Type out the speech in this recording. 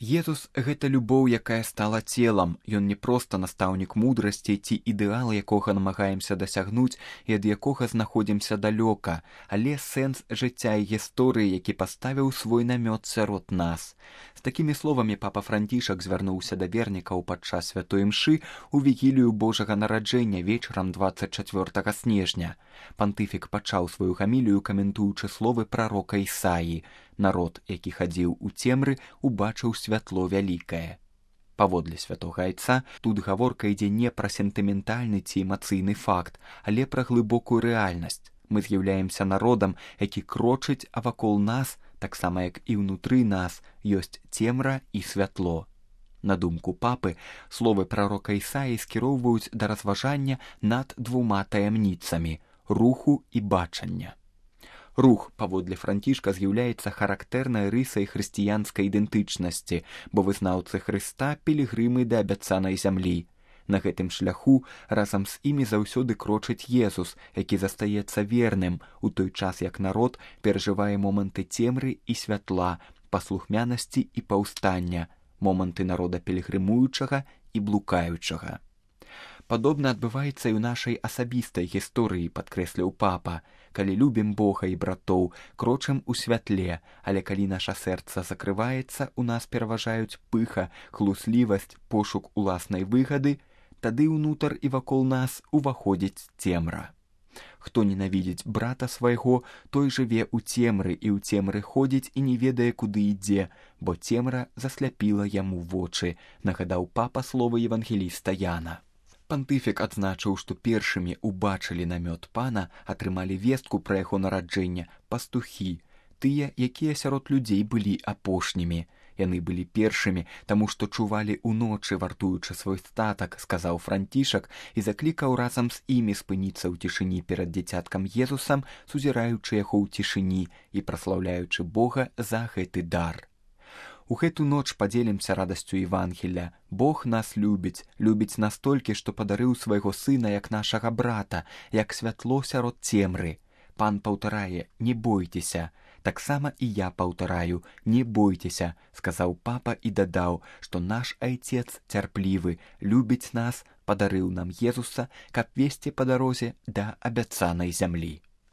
Езус – гэта любоў, якая стала целам. Ён не проста настаўнік мудрасці ці ідэал, якога намагаемся дасягнуць і ад якога знаходзімся далёка, але сэнс жыцця і гісторыі, які паставіў свой намёт сярод нас. З такімі словамі папа Францішак звярнуўся да вернікаў падчас святой імшы ў вігілію Божага нараджэння вечарам 24 снежня. Пантыфік пачаў сваю гамілію, каментуючы словы прарока Ісаі. Народ, які хадзіў у цемры, убачыў святло вялікае. Паводле святога айца, тут гаворка ідзе не пра сентыментальны ці эмацыйны факт, але пра глыбокую рэальнасць. Мы з'яўляемся народам, які крочыць, а вакол нас, таксама як і ўнутры нас, ёсць цемра і святло. На думку папы, словы прарока Ісаі скіроўваюць да разважання над двума таямніцамі – руху і бачання. Рух, паводле Францішка, з'яўляецца характэрнай рысай хрысціянскай ідэнтычнасці, бо вызнаўцы Хрыста – пілігрымы да абяцанай зямлі. На гэтым шляху разам з імі заўсёды крочыць Езус, які застаецца верным, у той час як народ перажывае моманты цемры і святла, паслухмянасці і паўстання, моманты народа пілігрымуючага і блукаючага. Падобна адбываецца і ў нашай асабістай гісторыі, падкрэсліў папа. Калі любім Бога і братоў, крочым у святле, але калі наша сэрца закрываецца, у нас пераважаюць пыха, хлуслівасць, пошук уласнай выгады, тады ўнутр і вакол нас уваходзіць цемра. Хто ненавідзіць брата свайго, той жыве ў цемры і ў цемры ходзіць і не ведае, куды ідзе, бо цемра засляпіла яму вочы, нагадаў папа словы евангеліста Яна. Пантыфік адзначыў, што першымі ўбачылі намёт пана, атрымалі вестку пра яго нараджэнне пастухі, тыя, якія сярод людзей былі апошнімі. Яны былі першымі, таму што чувалі ўночы, вартуючы свой статак, сказаў Францішак і заклікаў разам з імі спыніцца ў цішыні перад дзіцяткам Езусам, сузіраючы яго ў цішыні і праслаўляючы Бога за гэты дар. У гэту ноч падзелімся радасцю Евангелля. Бог нас любіць, любіць настолькі, што падарыў свайго сына як нашага брата, як святло сярод цемры. Пан паўтарае: «Не бойцеся». Таксама і я паўтараю: «Не бойцеся», сказаў папа і дадаў, што наш айцец цярплівы, любіць нас, падарыў нам Езуса, каб весці па дарозе да абяцанай зямлі.